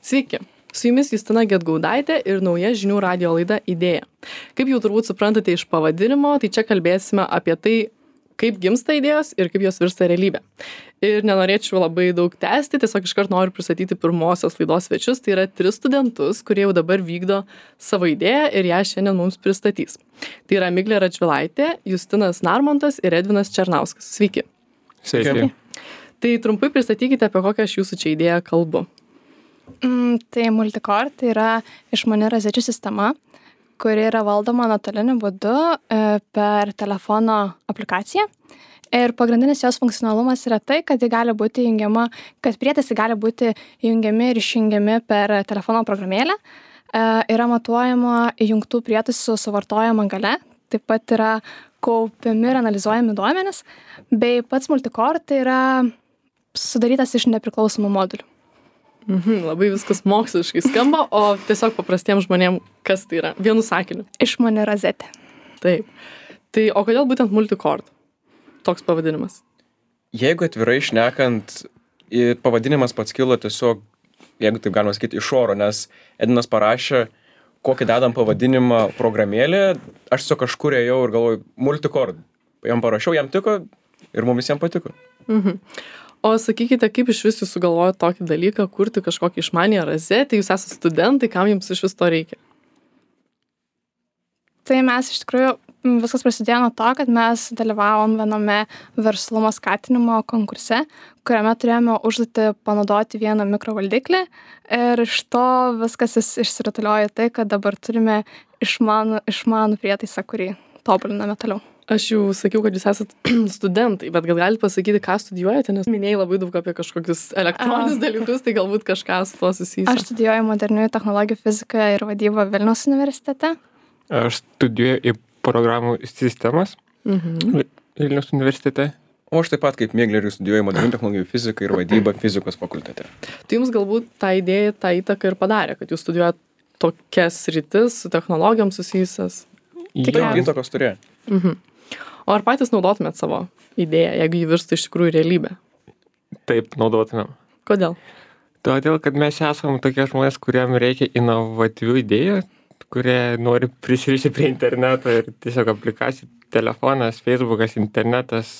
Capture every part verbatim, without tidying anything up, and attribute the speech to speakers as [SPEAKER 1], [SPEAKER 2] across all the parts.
[SPEAKER 1] Sveiki, su jumis Justina Gedgaudaitė ir nauja žinių radijo laida Idėja. Kaip jau turbūt suprantate iš pavadinimo, tai čia kalbėsime apie tai, kaip gimsta idėjos ir kaip jos virsta realybė. Ir nenorėčiau labai daug tęsti, tiesiog iškart noriu pristatyti pirmosios laidos svečius, tai yra tris studentus, kurie jau dabar vykdo savo idėją ir ją šiandien mums pristatys. Tai yra Miglė Radžvilaitė, Justinas Narmontas ir Edvinas Černauskas. Sveiki.
[SPEAKER 2] Sveiki.
[SPEAKER 1] Tai trumpai pristatykite, apie kokią aš jūsų čia idėją kalbu.
[SPEAKER 3] Mm, tai Multicore tai yra išmani rozečių sistema, kuri yra valdoma nuotoliniu būdu e, per telefono aplikaciją. Ir pagrindinis jos funkcionalumas yra tai, kad ji gali būti jungiama, kad prietaisai gali būti jungiami ir išjungiami per telefono programėlę. E, yra matuojama įjungtų prietaisų suvartojama galia, taip pat yra kaupiami ir analizuojami duomenys, bei pats Multicore tai yra sudarytas iš nepriklausomų modulių.
[SPEAKER 1] Mhm, labai viskas moksliškai skamba, o tiesiog paprastiems žmonėms kas tai yra? Vienu sakiniu.
[SPEAKER 3] Išmani rozetė.
[SPEAKER 1] Taip. Tai o kodėl būtent Multicore? Toks pavadinimas.
[SPEAKER 2] Jeigu atvirai šnekant, pavadinimas pats kilo tiesiog, jeigu taip galima sakyti, iš oro, nes Edinas parašė, kokį dedam pavadinimą programėlė, aš tiesiog kažkur ėjau ir galvoju, Multicore. Jam parašiau, jam tiko ir mums visiems patiko.
[SPEAKER 1] Mhm. O sakykite, kaip iš vis jūs sugalvojot tokį dalyką, kurti kažkokį išmanį rozetę, jūs esate studentai, kam jums iš vis to reikia?
[SPEAKER 3] Tai mes iš tikrųjų viskas prasidėjo nuo to, kad mes dalyvavom viename verslumo skatinimo konkurse, kuriame turėjome užduotį panaudoti vieną mikrovaldiklį ir iš to viskas išsirutuliojo tai, kad dabar turime išmanų, išmanų prietaisą, kurį tobuliname toliau.
[SPEAKER 1] Aš jau sakiau, kad jūs esate studentai, bet gal galite pasakyti, ką studijuojate, nes minėjai labai daug apie kažkokius elektroninius
[SPEAKER 3] A.
[SPEAKER 1] dalykus, tai galbūt kažką su to susijęs.
[SPEAKER 3] Aš studijuoju moderniųjų technologijų fiziką ir vadybą Vilniaus universitete.
[SPEAKER 4] Aš studijuoju į programų sistemas
[SPEAKER 1] Mhm.
[SPEAKER 4] Vilniaus universitete.
[SPEAKER 2] O aš taip pat kaip Miglė ir studijuoju modernių technologijų fiziką ir vadybą fizikos fakultete.
[SPEAKER 1] Tai jums galbūt tą idėją, tą įtaką ir padarė, kad jūs studijuojat tokias sritis su technologijom susijusias.
[SPEAKER 2] Taip, įtakos turėjo.
[SPEAKER 1] Mhm. O ar patys naudotumėt savo idėją, jeigu jį virstų iš tikrųjų realybę?
[SPEAKER 4] Taip, naudotumėm.
[SPEAKER 1] Kodėl?
[SPEAKER 4] Todėl, kad mes esam tokie žmonės, kuriem reikia inovatyvių idėjų, kurie nori prisirišti prie interneto ir tiesiog aplikacijų, telefonas, Facebookas, internetas,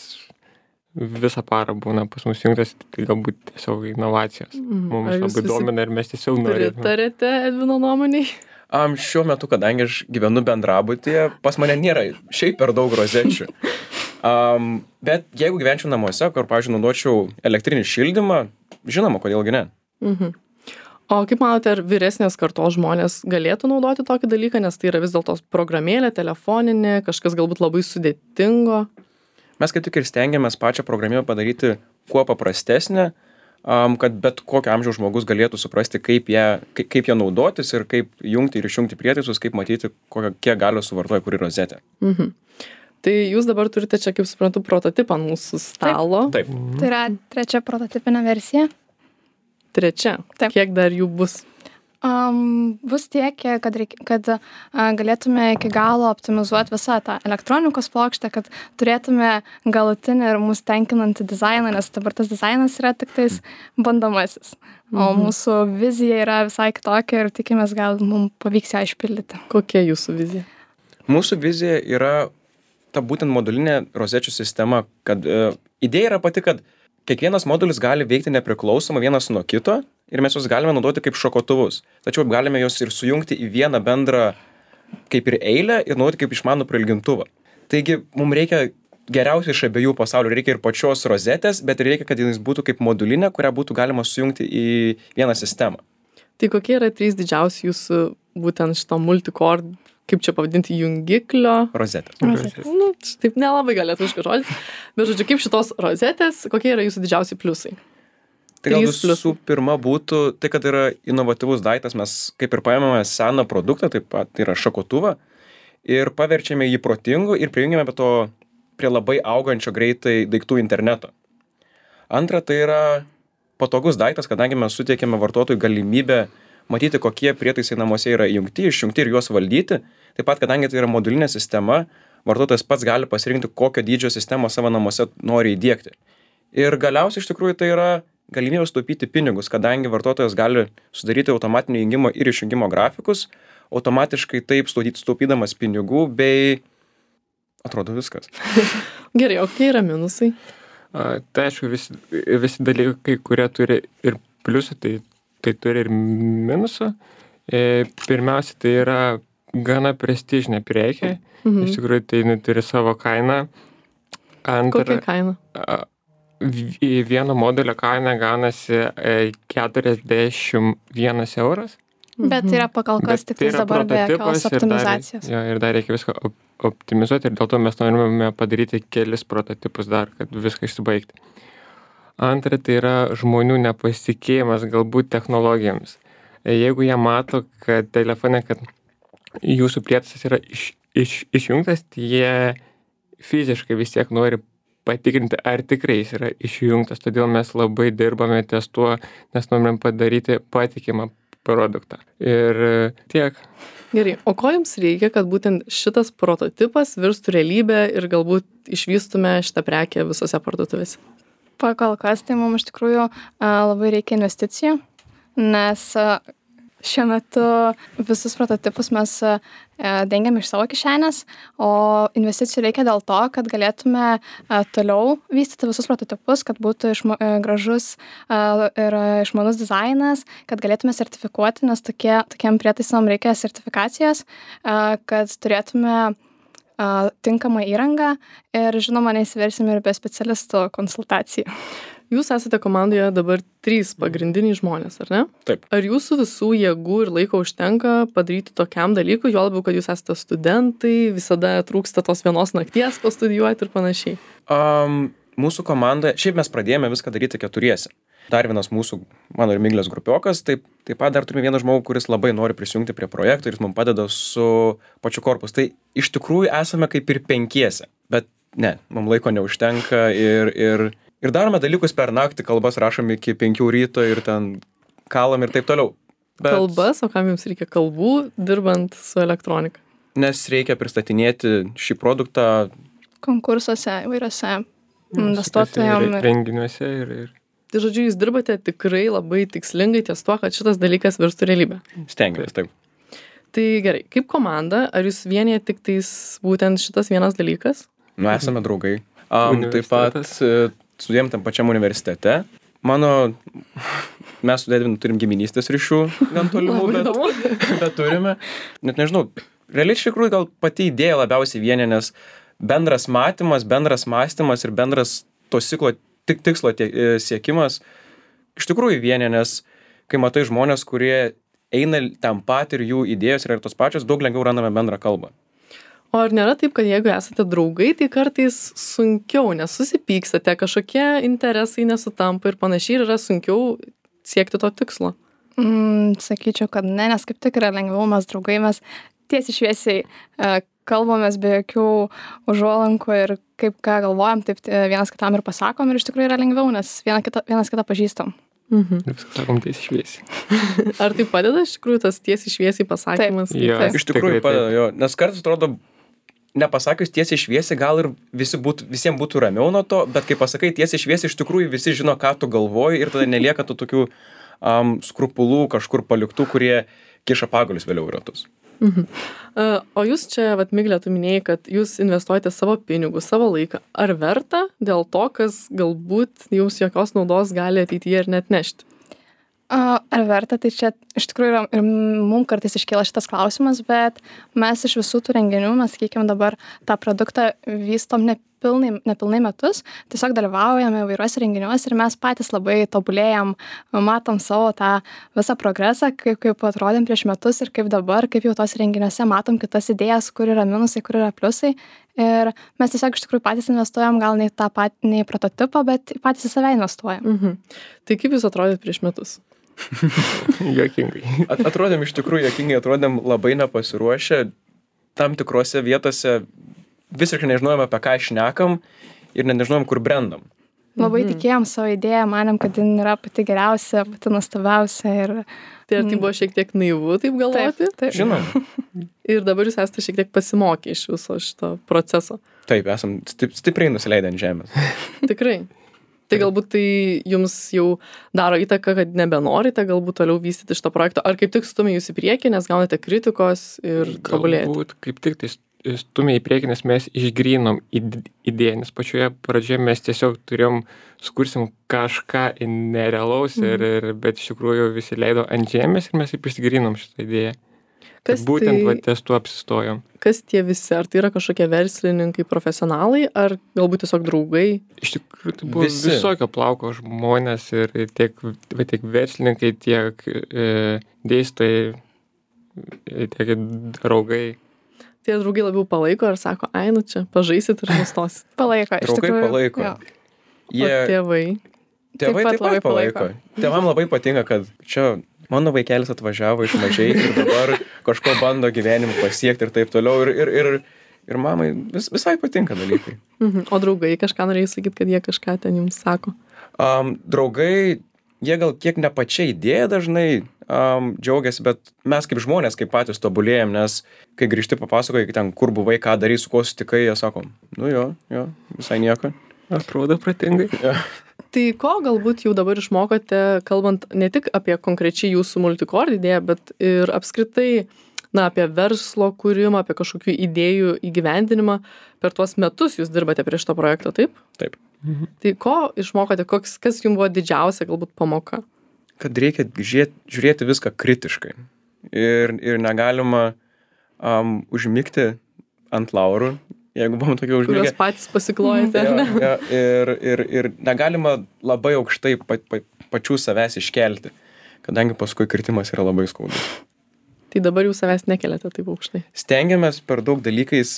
[SPEAKER 4] visą parą būna pas mus jungtas, tai galbūt tiesiog inovacijos.
[SPEAKER 1] Mhm.
[SPEAKER 4] Mums
[SPEAKER 1] Ar jūs
[SPEAKER 4] labai
[SPEAKER 1] visi
[SPEAKER 4] domina ir mes tiesiog norėtume.
[SPEAKER 1] Pritarėte Edvino nuomoniai?
[SPEAKER 2] Um, šiuo metu, kadangi aš gyvenu bendrabutyje, pas mane nėra šiaip per daug rozečių. Um, bet jeigu gyvenčiau namuose, kur, pavyzdžiui, naudočiau elektrinį šildymą, žinoma, kodėlgi ne.
[SPEAKER 1] Mhm. O kaip manote, ar vyresnės kartos žmonės galėtų naudoti tokį dalyką, nes tai yra vis dėlto programėlė, telefoninė, kažkas galbūt labai sudėtingo?
[SPEAKER 2] Mes kaip tik ir stengiamės pačią programėlę padaryti kuo paprastesnę, um, kad bet kokio amžiaus žmogus galėtų suprasti, kaip ją, kaip, kaip ją naudotis ir kaip jungti ir išjungti prietaisus, kaip matyti, kokią, kiek galios suvartoja kuri rozetė.
[SPEAKER 1] Mhm. Tai jūs dabar turite čia, kaip suprantu, prototipą ant mūsų stalo.
[SPEAKER 2] Taip.
[SPEAKER 3] Tai yra trečia prototipinė versija.
[SPEAKER 1] Trečia.
[SPEAKER 3] Taip.
[SPEAKER 1] Kiek dar jų bus?
[SPEAKER 3] Um, bus tiek, kad, reik, kad uh, galėtume iki galo optimizuoti visą tą elektronikos plokštę, kad turėtume galutinį ir mus tenkinantį dizainą, nes dabar tas dizainas yra tik tais bandomasis. O
[SPEAKER 1] Mhm.
[SPEAKER 3] mūsų vizija yra visai kitokia ir tikimės, gal mums pavyks ją išpildyti.
[SPEAKER 1] Kokia jūsų vizija?
[SPEAKER 2] Mūsų vizija yra ta būtent modulinė rozečių sistema, kad uh, idėja yra pati, kad kiekvienas modulis gali veikti nepriklausomai vienas nuo kito ir mes juos galime naudoti kaip šokotuvus. Tačiau galime juos ir sujungti į vieną bendrą kaip ir eilę ir naudoti kaip išmanų prailgintuvą. Taigi mums reikia geriausiai iš abiejų pasaulių. Reikia ir pačios rozetės, bet reikia, kad jis būtų kaip modulinė, kurią būtų galima sujungti į vieną sistemą.
[SPEAKER 1] Tai kokie yra trys didžiausi jūsų būtent šito Multicore, kaip čia pavadinti, jungiklio?
[SPEAKER 2] Rozetė.
[SPEAKER 3] Rozetės.
[SPEAKER 1] Nu, taip nelabai galėtų žodis. Bet žodžiu, kaip šitos rozetės, kokie yra jūsų didžiausi pliusai?
[SPEAKER 2] Tai gal
[SPEAKER 1] Trys pliusai.
[SPEAKER 2] visų pirma būtų tai, kad yra inovatyvus daiktas, mes kaip ir paėmėme seną produktą, taip pat tai yra šakotuvą, ir paverčiame jį protingu ir prijungiame prie to prie labai augančio greitai daiktų interneto. Antra, tai yra patogus daiktas, kadangi mes suteikėme vartotojui galimybę matyti, kokie prietaisai namuose yra įjungti, išjungti ir juos valdyti. Taip pat, kadangi tai yra modulinė sistema, vartotojas pats gali pasirinkti, kokio dydžio sistemą savo namuose nori įdiegti. Ir galiausiai iš tikrųjų tai yra galimybę sutaupyti pinigus, kadangi vartotojas gali sudaryti automatinio įjungimo ir išjungimo grafikus, automatiškai taip sutaupydamas pinigų, bei atrodo viskas.
[SPEAKER 1] Gerai, o kokie yra minusai?
[SPEAKER 4] A, tai aišku, visi, visi dalykai, kurie turi ir pliusų, tai, tai turi ir minusų. E, pirmiausia, tai yra gana prestižinė prekė. Mhm. Iš tikrųjų, tai turi savo kainą. Antra,
[SPEAKER 1] kokia kaina?
[SPEAKER 4] A, vieno modelio kaina gaunasi keturiasdešimt vienas euras.
[SPEAKER 3] Bet tai yra pagal kas tik tai dabar be jokios optimizacijos.
[SPEAKER 4] Ir dar, jo, ir dar reikia viską op optimizuoti ir dėl to mes norime padaryti kelis prototipus dar, kad viską išsibaigti. Antra, tai yra žmonių nepasitikėjimas galbūt technologijomis. Jeigu jie mato, kad telefone, kad jūsų prietaisas yra iš, iš, išjungtas, tai jie fiziškai vis tiek nori patikrinti, ar tikrai jis yra išjungtas. Todėl mes labai dirbame ties tuo, nes norim padaryti patikimą produktą. Ir tiek.
[SPEAKER 1] Gerai, o ko jums reikia, kad būtent šitas prototipas virstų realybę ir galbūt išvystume šitą prekę visose parduotuvėse?
[SPEAKER 3] Pakol kas, tai mums iš tikrųjų labai reikia investicijų, nes šiuo metu visus prototipus mes dengiam iš savo kišenės, o investicijų reikia dėl to, kad galėtume toliau vystyti visus prototipus, kad būtų išma, gražus ir išmanus dizainas, kad galėtume sertifikuoti, nes tokie, tokiam prietaisam reikia sertifikacijos, kad turėtume tinkamą įrangą ir žinoma neįsiversim ir be specialistų konsultacijų.
[SPEAKER 1] Jūs esate komandoje dabar trys pagrindiniai žmonės, ar ne?
[SPEAKER 2] Taip.
[SPEAKER 1] Ar jūsų visų jėgų ir laiko užtenka padaryti tokiam dalykui, juo labiau, kad jūs esate studentai, visada trūksta tos vienos nakties pastudijuoti ir panašiai?
[SPEAKER 2] Um, mūsų komanda, šiaip mes pradėjome viską daryti keturiese. Dar vienas mūsų, mano ir Miglės grupiokas, taip, taip pat dar turime vieną žmogų, kuris labai nori prisijungti prie projekto ir jis mums padeda su pačiu korpusu. Tai iš tikrųjų esame kaip ir penkiese, bet ne, mums laiko neužtenka ir... ir Ir darome dalykus per naktį, kalbas rašom iki penkių ryto ir ten kalam ir taip toliau.
[SPEAKER 1] Bet... Kalbas, o kam jums reikia kalbų, dirbant su elektronika?
[SPEAKER 2] Nes reikia pristatinėti šį produktą
[SPEAKER 3] konkursuose, įvairiose investuotojams.
[SPEAKER 4] Renginiuose ir, ir...
[SPEAKER 1] Tai žodžiu, jūs dirbate tikrai labai tikslingai ties tuo, kad šitas dalykas virstų realybę.
[SPEAKER 2] Stengiamės, taip.
[SPEAKER 1] Tai gerai, kaip komanda, ar jūs vienyje tik tais būtent šitas vienas dalykas?
[SPEAKER 2] Nu, esame draugai. Um, taip pat studijuojam tam pačiam universitete. Mano, mes su Edvinu turim giminystės ryšių, gan tolimų, bet, bet turime. Net nežinau, realiai iš tikrųjų gal pati idėja labiausiai vienė, nes bendras matymas, bendras mąstymas ir bendras to ciklo, tik tikslo tie, siekimas iš tikrųjų vienė, nes kai matai žmonės, kurie eina tam pat ir jų idėjos yra tos pačios, daug lengviau randame bendrą kalbą.
[SPEAKER 1] O ar nėra taip, kad jeigu esate draugai, tai kartais sunkiau, nes susipykstate, kažkokie interesai nesutampa ir panašiai, ir yra sunkiau siekti to tikslo?
[SPEAKER 3] Mm, sakyčiau, kad ne, nes kaip tik yra lengviau, mes draugai, mes tiesiai šviesiai e, kalbamės be jokių užuolankų ir kaip ką galvojam, taip vienas kitam ir pasakom ir iš tikrųjų yra lengviau, nes vienas kitą, vienas kitą pažįstam.
[SPEAKER 4] Mhm. Ir viską sakom tiesiai šviesiai.
[SPEAKER 1] Ar tai padeda iš tikrųjų tas tiesiai šviesiai pasakymas?
[SPEAKER 4] Taip, jo,
[SPEAKER 2] iš tikrųjų padeda, jo, nes kartais atrodo, nepasakius tiesiai šviesiai, gal ir visi būtų, visiems būtų ramiau nuo to, bet kai pasakai tiesiai šviesiai, iš tikrųjų visi žino, ką tu galvoji ir tada nelieka tų tokių um, skrupulų kažkur paliktų, kurie kiša pagalius vėliau į ratus.
[SPEAKER 1] Mhm. Uh, o jūs čia, vat, Miglė, tu minėjai, kad jūs investuojate savo pinigus, savo laiką. Ar verta dėl to, kas galbūt jums jokios naudos gali ateityje ir net nešti?
[SPEAKER 3] Uh, ar verta, tai čia iš tikrųjų yra, ir mums kartais iškyla šitas klausimas, bet mes iš visų tų renginių, mes, sakykime, dabar tą produktą vystom nepilnai, nepilnai metus, tiesiog dalyvaujame įvairiuose renginiuose ir mes patys labai tobulėjam, matom savo tą visą progresą, kaip, kaip atrodėm prieš metus ir kaip dabar, kaip jau tos renginiuose matom kitas idėjas, kur yra minusai, kur yra pliusai. Ir mes tiesiog iš tikrųjų patys investuojam, gal ne į tą patį, ne į prototipą, bet patys į save investuojam.
[SPEAKER 1] Mhm. Tai kaip jūs atrodėt prieš metus?
[SPEAKER 4] Jokingai.
[SPEAKER 2] At, atrodėm iš tikrųjų jokingai, atrodėm labai nepasiruošę, tam tikrose vietose visiškai nežinojom, apie ką šnekam ir net nežinojom, kur brendam.
[SPEAKER 3] Labai mhm. tikėjom savo idėją, manėm, kad jin yra pati geriausia, pati nuostabiausia. Ir...
[SPEAKER 1] Tai ar tai buvo šiek tiek naivu taip galvoti?
[SPEAKER 3] Taip, taip.
[SPEAKER 2] Žinom.
[SPEAKER 1] Ir dabar jūs esate šiek tiek pasimokę iš viso šito proceso.
[SPEAKER 2] Taip, esam stip, stipriai nusileidę ant žemės.
[SPEAKER 1] Tikrai. Tai galbūt tai jums jau daro įtaką, kad nebenorite galbūt toliau vystyti šito projekto, ar kaip tik stumia jūs į priekį, nes gaunate kritikos ir tobulėjate?
[SPEAKER 4] Galbūt kaip tik tai stumia į priekį, nes mes išgrynom idėją, nes pačioje pradžioje mes tiesiog turėjom, sukursim kažką nerealaus, mhm. ir, ir, bet iš tikrųjų visi leido ant žemės ir mes taip išgrynom šitą idėją. Kas būtent tai, va, ties tuo apsistojom.
[SPEAKER 1] Kas tie visi? Ar tai yra kažkokie verslininkai, profesionalai, ar galbūt tiesiog draugai?
[SPEAKER 4] Iš tikrųjų, tai buvo visi. Visokio plauko žmonės ir tiek, va, tiek verslininkai, tiek e, dėstytojai, tiek draugai.
[SPEAKER 1] Tie draugai labiau palaiko ar sako, ai, nu čia, pažaisit ir nustosit?
[SPEAKER 3] Palaiko, iš
[SPEAKER 2] draugai
[SPEAKER 3] tikrųjų.
[SPEAKER 2] Palaiko.
[SPEAKER 3] Jo.
[SPEAKER 2] Jie,
[SPEAKER 1] o tėvai?
[SPEAKER 2] Tėvai taip pat, taip pat palaiko. palaiko. Tėvam labai patinka, kad čia mano vaikelis atvažiavo iš mažai ir dabar kažko bando gyvenimą pasiekti ir taip toliau. Ir, ir, ir, ir mamai vis, visai patinka dalykai.
[SPEAKER 1] Mhm. O draugai kažką norėjai sakyti, kad jie kažką ten jums sako?
[SPEAKER 2] Um, draugai, jie gal kiek ne pačia idėja dažnai um, džiaugiasi, bet mes kaip žmonės, kaip patys tobulėjom, nes kai grįžti papasakoji ten, kur buvai, ką darai, su kuo sutikai, jie sako, nu jo, jo, visai nieko.
[SPEAKER 4] Atrodo pratingai.
[SPEAKER 2] Ja.
[SPEAKER 1] Tai ko galbūt jau dabar išmokote, kalbant ne tik apie konkrečiai jūsų Multicord idėją, bet ir apskritai, na, apie verslo kūrimą, apie kažkokių idėjų įgyvendinimą. Per tuos metus jūs dirbate prie šito projekto, taip?
[SPEAKER 2] Taip.
[SPEAKER 1] Mhm. Tai ko išmokote, koks, kas jums buvo didžiausia galbūt pamoka?
[SPEAKER 2] Kad reikia žiūrėti, žiūrėti viską kritiškai. Ir, ir negalima um, užmigti ant laurų. Jeigu buvom tokie užmigę.
[SPEAKER 1] Kurios patys pasiklojate,
[SPEAKER 2] ja,
[SPEAKER 1] ne?
[SPEAKER 2] Ja, ir, ir, ir negalima labai aukštai pa, pa, pačių savęs iškelti, kadangi paskui kritimas yra labai skaudus.
[SPEAKER 1] Tai dabar jūs savęs nekeliate taip aukštai.
[SPEAKER 2] Stengiamės per daug dalykais,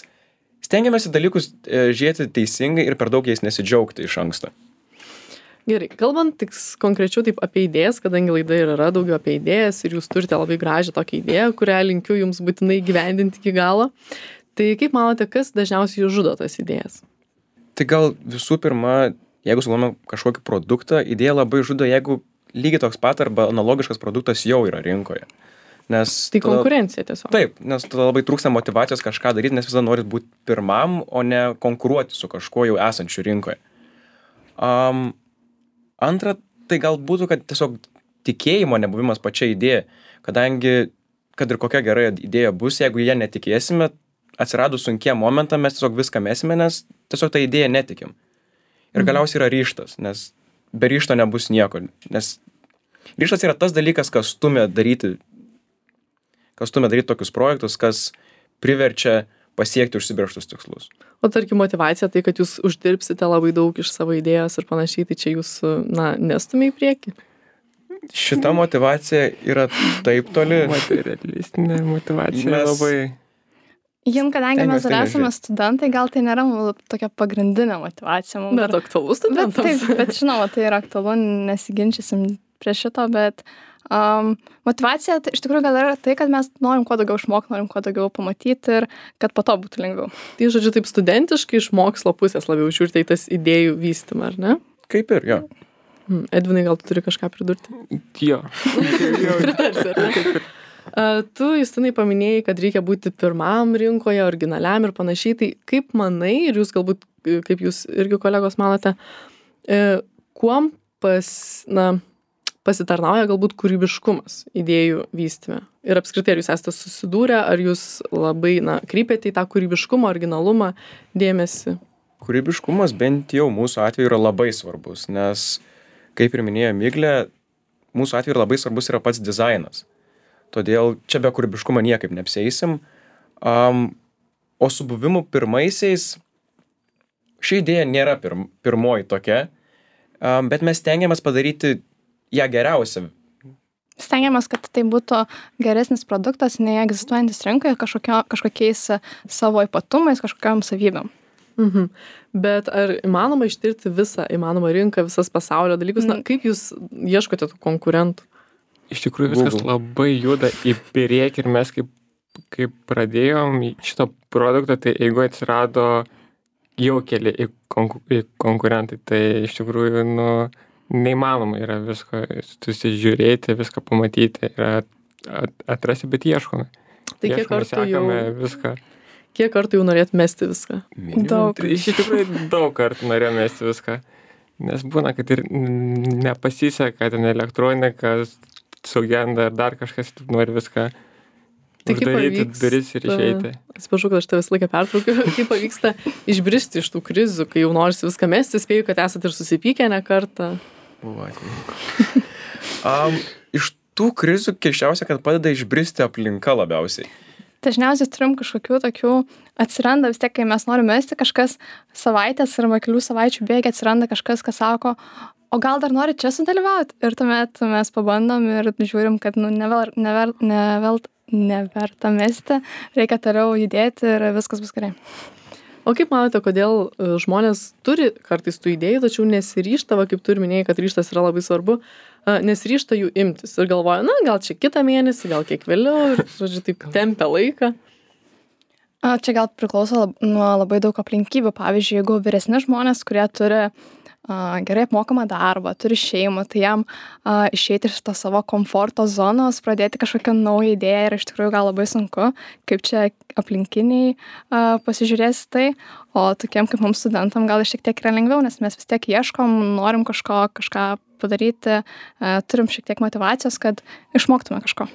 [SPEAKER 2] stengiamės į dalykus e, žiūrėti teisingai ir per daug jais nesidžiaugti iš anksto.
[SPEAKER 1] Gerai, kalbant tik konkrečiau taip apie idėjas, kadangi laida ir yra daugiau apie idėjas ir jūs turite labai gražią tokią idėją, kurią linkiu jums būtinai gyvendinti iki galo. Tai kaip manote, kas dažniausiai jūs žudo tas idėjas?
[SPEAKER 2] Tai gal visų pirma, jeigu sugalvojame kažkokį produktą, idėja labai žudo, jeigu lygiai toks pat arba analogiškas produktas jau yra rinkoje. Nes
[SPEAKER 1] tai
[SPEAKER 2] tada,
[SPEAKER 1] konkurencija tiesiog.
[SPEAKER 2] Taip, nes tada labai trūksta motyvacijos kažką daryti, nes visada norit būti pirmam, o ne konkuruoti su kažkuo jau esančiu rinkoje. Um, antra, tai gal būtų, kad tiesiog tikėjimo nebuvimas pačia idėja, kadangi, kad ir kokia gera idėja bus, jeigu ją netikėsime, atsiradus sunkiem momentam mes tiesiog viską mesime, nes tiesiog tą idėją netikim. Ir galiausiai yra ryžtas, nes be ryžto nebus nieko. Nes ryžtas yra tas dalykas, kas stumia daryti, kas stumia daryti tokius projektus, kas priverčia pasiekti užsibrėžtus tikslus.
[SPEAKER 1] O tarkim motyvacija, tai kad jūs uždirbsite labai daug iš savo idėjos ir panašiai, tai čia jūs, na, nestumia į priekį?
[SPEAKER 2] Šita motyvacija yra taip toli.
[SPEAKER 4] Materialistinė motyvacija mes... labai...
[SPEAKER 3] Jum, kadangi mes dar esame studentai, gal tai nėra tokia pagrindinė motyvacija.
[SPEAKER 1] Bet dar... aktualu studentams.
[SPEAKER 3] Bet, taip, bet žinoma, tai yra aktualu, nesiginčysim prie šito, bet um, motyvacija tai, iš tikrųjų gal yra tai, kad mes norim kuo daugiau išmokti, norim kuo daugiau pamatyti ir kad po to būtų lengviau.
[SPEAKER 1] Tai, žodžiu, taip studentiškai iš mokslo pusės labiau žiūrite į tas idėjų vystymą, ar ne?
[SPEAKER 2] Kaip ir, jo.
[SPEAKER 1] Hmm. Edvinai, gal tu turi kažką pridurti?
[SPEAKER 4] Jo.
[SPEAKER 1] Pritarsi, ar ne? Uh, tu, Justinai, paminėjai, kad reikia būti pirmam rinkoje, originaliam ir panašiai. Tai kaip manai, ir jūs galbūt, kaip jūs irgi kolegos manote, uh, kuom pas, na, pasitarnauja galbūt kūrybiškumas idėjų vystyme? Ir apskritai, ar jūs esate susidūrę, ar jūs labai, na, kreipiate į tą kūrybiškumą, originalumą dėmesį?
[SPEAKER 2] Kūrybiškumas bent jau mūsų atveju yra labai svarbus, nes, kaip ir minėjo Miglė, mūsų atveju labai svarbus yra pats dizainas. Todėl čia be kūrybiškumo niekaip neapsieisim. Um, o su buvimu pirmaisiais, ši idėja nėra pirm, pirmoji tokia, um, bet mes stengiamės padaryti ją geriausią.
[SPEAKER 3] Stengiamės, kad tai būtų geresnis produktas, nei egzistuojantis rinkoje kažkokio, kažkokiais savo ypatumais, kažkokiam savybėm.
[SPEAKER 1] Mhm. Bet ar įmanoma ištirti visą įmanomą rinką, visas pasaulio dalykus? Mm. Na, kaip jūs ieškote tų konkurentų?
[SPEAKER 4] Iš tikrųjų viskas Google. Labai juda į priekį ir mes kaip, kaip pradėjom šitą produktą, tai jeigu atsirado jau keli į konku, į konkurentai, tai iš tikrųjų nu, neįmanoma yra viską susižiūrėti, viską pamatyti ir at, at, atrasti, bet ieškome.
[SPEAKER 1] Tai kiek kartų jau...
[SPEAKER 4] Viską.
[SPEAKER 1] Kiek kartų jau norėt mesti viską?
[SPEAKER 3] Daug.
[SPEAKER 4] Iš tikrųjų daug kartų norėjom mesti viską. Nes būna, kad ir n- nepasiseka, ten elektronika sugenda ar dar kažkas, tu nori viską
[SPEAKER 1] Tai kaip
[SPEAKER 4] uždaryti
[SPEAKER 1] pavyksta-
[SPEAKER 4] duris ir išeiti.
[SPEAKER 1] Atsiprašau, kad aš tave visą laiką pertraukiu. Kaip pavyksta išbristi iš tų krizių, kai jau norisi viską mesti, spėju, kad esate ir susipykę ne kartą.
[SPEAKER 2] Buvo atveju. um, iš tų krizių keiščiausia, kad padeda išbristi aplinka labiausiai.
[SPEAKER 3] Dažniausiai turim kažkokių tokių, atsiranda vis tiek, kai mes norime mesti kažkas savaitės arba kelių savaičių bėgi, atsiranda kažkas, kas sako, o gal dar nori čia sudalyvauti. Ir tuomet mes pabandom ir žiūrim, kad nu, never, never, never, neverta mesti, reikia toliau judėti ir viskas bus gerai.
[SPEAKER 1] O kaip manote, kodėl e, žmonės turi kartais tų idėjų, tačiau nesiryžta, va, kaip tu ir minėjai, kad ryžtas yra labai svarbu, e, nesiryžta jų imtis ir galvoja, na, gal čia kitą mėnesį, gal kiek vėliau ir, žodžiu, taip tempia laiką.
[SPEAKER 3] A, Čia gal priklauso lab, nuo labai daug aplinkybių. Pavyzdžiui, jeigu vyresni žmonės, kurie turi a, gerai apmokamą darbą, turi šeimą, tai jam a, išeiti iš to savo komforto zonos, pradėti kažkokią naują idėją yra iš tikrųjų gal labai sunku, kaip čia aplinkiniai a, pasižiūrės tai, o tokiem kaip mums studentam gal šiek tiek yra lengviau, nes mes vis tiek ieškom, norim kažko, kažką padaryti, a, turim šiek tiek motyvacijos, kad išmoktume kažko.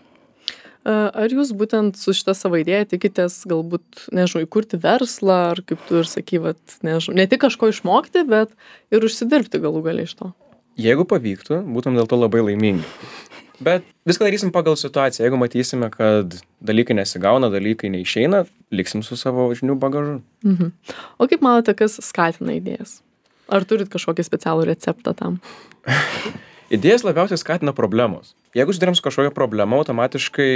[SPEAKER 1] E, Ar jūs būtent su šita savo idėja tikitės galbūt, nežinau, įkurti verslą, ar kaip tu ir sakai, vat, nežinau, ne tik kažko išmokti, bet ir užsidirbti galų galiai iš to?
[SPEAKER 2] Jeigu pavyktų, būtum dėl to labai laimingi. Bet viską darysim pagal situaciją. Jeigu matysime, kad dalykai nesigauna, dalykai neišeina, liksim su savo žinių bagažu.
[SPEAKER 1] Mhm. O kaip manote, kas skatina idėjas? Ar turit kažkokį specialų receptą tam?
[SPEAKER 2] Idėjas labiausiai skatina problemos. Jeigu sudarėm su kažkokia problema, automatiškai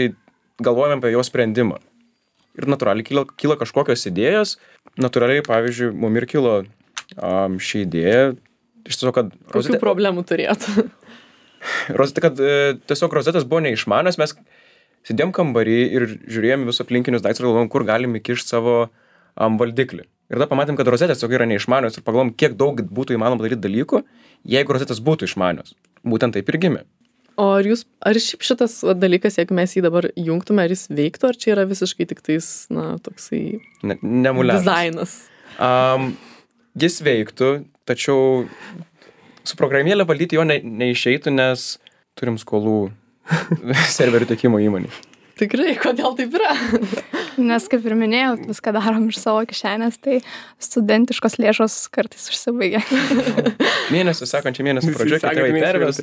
[SPEAKER 2] galvojame apie jos sprendimą. Ir natūraliai kyla, kyla kažkokios idėjos. Natūraliai, pavyzdžiui, mum ir kilo um, ši idėja. Iš tiesų, kad...
[SPEAKER 1] Kokių problemų turėtų?
[SPEAKER 2] Rozeta, kad e, tiesiog rozetas buvo neišmanios, mes sėdėjom kambarį ir žiūrėjom visus aplinkinius daiktus ir galvojom, kur galim įkišti savo um, valdiklį. Ir tada pamatėm, kad rozetės tiesiog yra neišmanios ir pagalvojom, kiek daug būtų įmanoma daryti dalykų, jeigu rozetės būtų išmanios. Būtent taip ir gimė.
[SPEAKER 1] O ar jūs, ar šiaip šitas va, dalykas, jeigu mes jį dabar jungtume, ar jis veiktų, ar čia yra visiškai tik tais, na, toksai
[SPEAKER 2] Ne, nemuliavimas.
[SPEAKER 1] dizainas?
[SPEAKER 2] Um, jis veiktų, tačiau su programėlė valdyti jo ne, neišeitų, nes turim skolų serverių tiekimo įmonį.
[SPEAKER 1] Tikrai, kodėl taip yra?
[SPEAKER 3] Nes, kaip ir minėjau, viską darom iš savo kišenės, tai studentiškos lėšos kartais užsibaigia.
[SPEAKER 2] Mėnesį, sekančią mėnesį pradžioje, kai tėvai perves.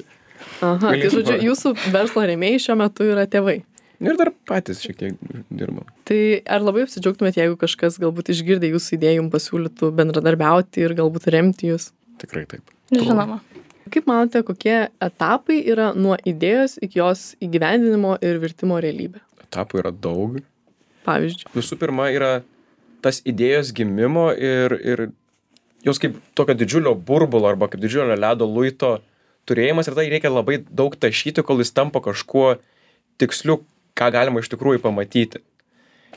[SPEAKER 1] Aha, tai
[SPEAKER 2] Galėtum
[SPEAKER 1] žodžiu,
[SPEAKER 2] parodyti.
[SPEAKER 1] jūsų verslo rėmėjai šiuo metu yra tėvai.
[SPEAKER 2] Ir dar patys šiek tiek dirbam.
[SPEAKER 1] Tai ar labai apsidžiaugtumėt, jeigu kažkas galbūt išgirdė jūsų idėją, jums pasiūlytų bendradarbiauti ir galbūt remti jūs?
[SPEAKER 2] Tikrai taip.
[SPEAKER 3] Žinoma.
[SPEAKER 1] Kaip manote, kokie etapai yra nuo idėjos iki jos įgyvendinimo ir virtimo realybė?
[SPEAKER 2] Etapų yra daug.
[SPEAKER 1] Pavyzdžiui.
[SPEAKER 2] Visų pirma yra tas idėjos gimimo ir, ir jos kaip tokio didžiulio burbulo arba kaip didžiulio ledo luito turėjimas ir tai reikia labai daug tašyti, kol jis tampa kažkuo tiksliu, ką galima iš tikrųjų pamatyti.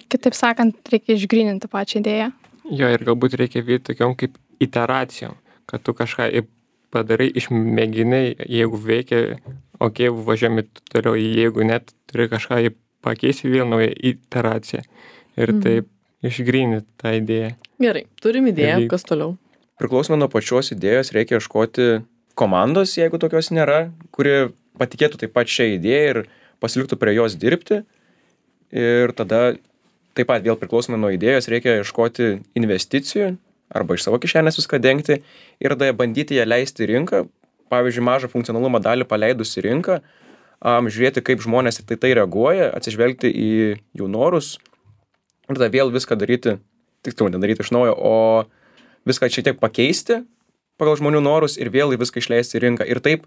[SPEAKER 3] Kitaip sakant, reikia išgryninti pačią idėją.
[SPEAKER 4] Jo, ir galbūt reikia vykti tokiom kaip iteracijom, kad tu kažką i- padarai, išmėginai, jeigu veikia, okei, okay, važiuojame toliau, jeigu net turi kažką į- pakeisti vėl naują iteraciją ir
[SPEAKER 1] Mhm.
[SPEAKER 4] taip išgrynint tą idėją.
[SPEAKER 1] Gerai, turim idėją,
[SPEAKER 4] Dalyk.
[SPEAKER 1] kas toliau.
[SPEAKER 2] Priklausomai nuo pačios idėjos reikia ieškoti komandos, jeigu tokios nėra, kuri patikėtų taip pat šią idėją ir pasiliktų prie jos dirbti. Ir tada taip pat vėl priklausomai nuo idėjos reikia ieškoti investicijų arba iš savo kišenės viską dengti ir tada bandyti ją leisti į rinką. Pavyzdžiui, mažą funkcionalumo dalį paleidus į rinką, um, žiūrėti, kaip žmonės į tai, tai reaguoja, atsižvelgti į jų norus ir tada vėl viską daryti, tiksliau, nedaryti iš naujo, o viską šiek tiek pakeisti pagal žmonių norus ir vėl į viską išleisti į rinką. Ir taip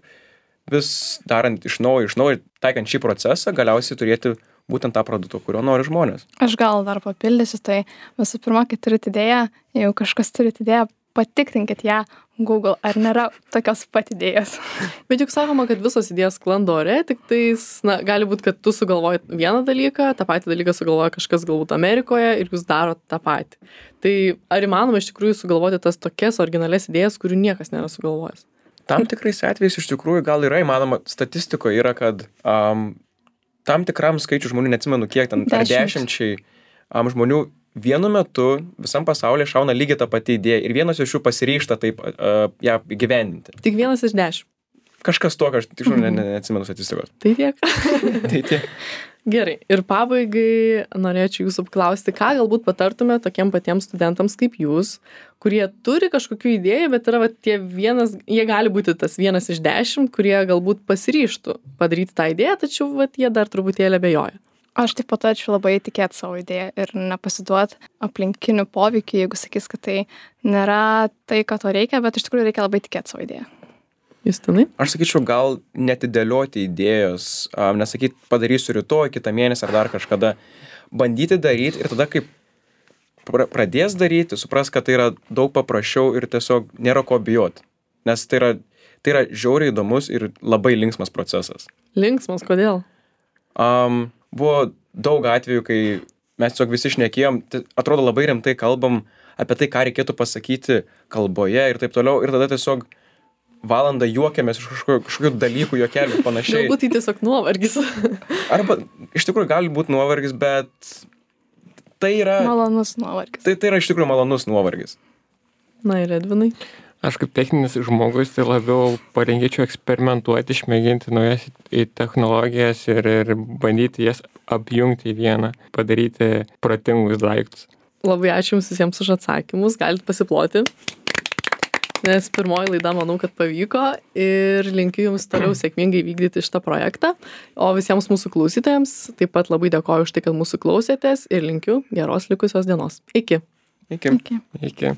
[SPEAKER 2] vis darant iš naujo, iš naujo, taikant šį procesą, galiausiai turėti būtent tą produktą, kurio nori žmonės.
[SPEAKER 3] Aš gal dar papildysiu, tai visų pirma, kai turit idėją, jeigu kažkas turit idėją, patikrinkit ją Google, ar nėra tokios pat idėjos.
[SPEAKER 1] Bet juk sakoma, kad visos idėjos sklando ore, tik tais, na, gali būti, kad tu sugalvoji vieną dalyką, tą patį dalyką sugalvoja kažkas galbūt Amerikoje ir jūs darot tą patį. Tai ar įmanoma iš tikrųjų sugalvoti tas tokias originales idėjas, kurių niekas nėra sugalvojęs?
[SPEAKER 2] Tam tikrais atvejais iš tikrųjų gal yra įmanoma, statistikoje yra, kad um, tam tikram skaičių žmonių, neatsimenu kiek ten, ar
[SPEAKER 3] Dešimt.
[SPEAKER 2] dešimčiai um, žmonių vienu metu visam pasaulyje šauna lygiai ta pati idėja ir vienas iš jų pasiryžta taip uh, ją įgyvendinti.
[SPEAKER 1] Tik vienas iš dešimt.
[SPEAKER 2] Kažkas tokio, aš tikrai ne, ne, neatsimenu statistikos.
[SPEAKER 1] Tai tiek.
[SPEAKER 2] Tai tiek.
[SPEAKER 1] Gerai. Ir pabaigai norėčiau jūsų paklausti, ką galbūt patartume tokiem patiems studentams kaip jūs, kurie turi kažkokių idėjų, bet yra va, tie vienas, jie gali būti tas vienas iš dešimt, kurie galbūt pasiryžtų padaryti tą idėją, tačiau va, jie dar truputėlį abejoja.
[SPEAKER 3] Aš taip patarčiau labai tikėti savo idėją ir nepasiduoti aplinkinių poveikių, jeigu sakys, kad tai nėra tai, ką to reikia, bet iš tikrųjų reikia labai tikėti savo idėją.
[SPEAKER 1] Justinai?
[SPEAKER 2] Aš sakyčiau, gal netidėlioti idėjos, um, nesakyti padarysiu rytoj, kitą mėnesį ar dar kažkada. Bandyti daryti ir tada, kaip pra- pradės daryti, supras, kad tai yra daug paprasčiau ir tiesiog nėra ko bijoti. Nes tai yra, tai yra žiauriai įdomus ir labai linksmas procesas.
[SPEAKER 1] Linksmas, kodėl?
[SPEAKER 2] Um, buvo daug atvejų, kai mes tiesiog visi šnekėjom, tai atrodo labai rimtai kalbam apie tai, ką reikėtų pasakyti kalboje ir taip toliau. Ir tada tiesiog valandą juokiamės iš kažkokių, kažkokių dalykų, juokelių ir panašiai.
[SPEAKER 1] Galbūt tai tiesiog nuovargis.
[SPEAKER 2] Arba iš tikrųjų gali būti nuovargis, bet tai yra,
[SPEAKER 3] Malonus nuovargis.
[SPEAKER 2] tai, tai yra iš tikrųjų malonus nuovargis.
[SPEAKER 1] Na ir Edvinai.
[SPEAKER 4] Aš kaip techninis žmogus tai labiau parinkėčiau eksperimentuoti, išmėginti naujas į technologijas ir, ir bandyti jas apjungti į vieną, padaryti protingus daiktus.
[SPEAKER 1] Labai ačiū jums visiems už atsakymus, galite pasiploti. Nes pirmoji laida, manau, kad pavyko ir linkiu jums toliau sėkmingai vykdyti šitą projektą. O visiems mūsų klausytojams taip pat labai dėkoju už tai, kad mūsų klausėtės ir linkiu geros likusios dienos. Iki.
[SPEAKER 2] Iki.
[SPEAKER 3] Iki.
[SPEAKER 4] Iki.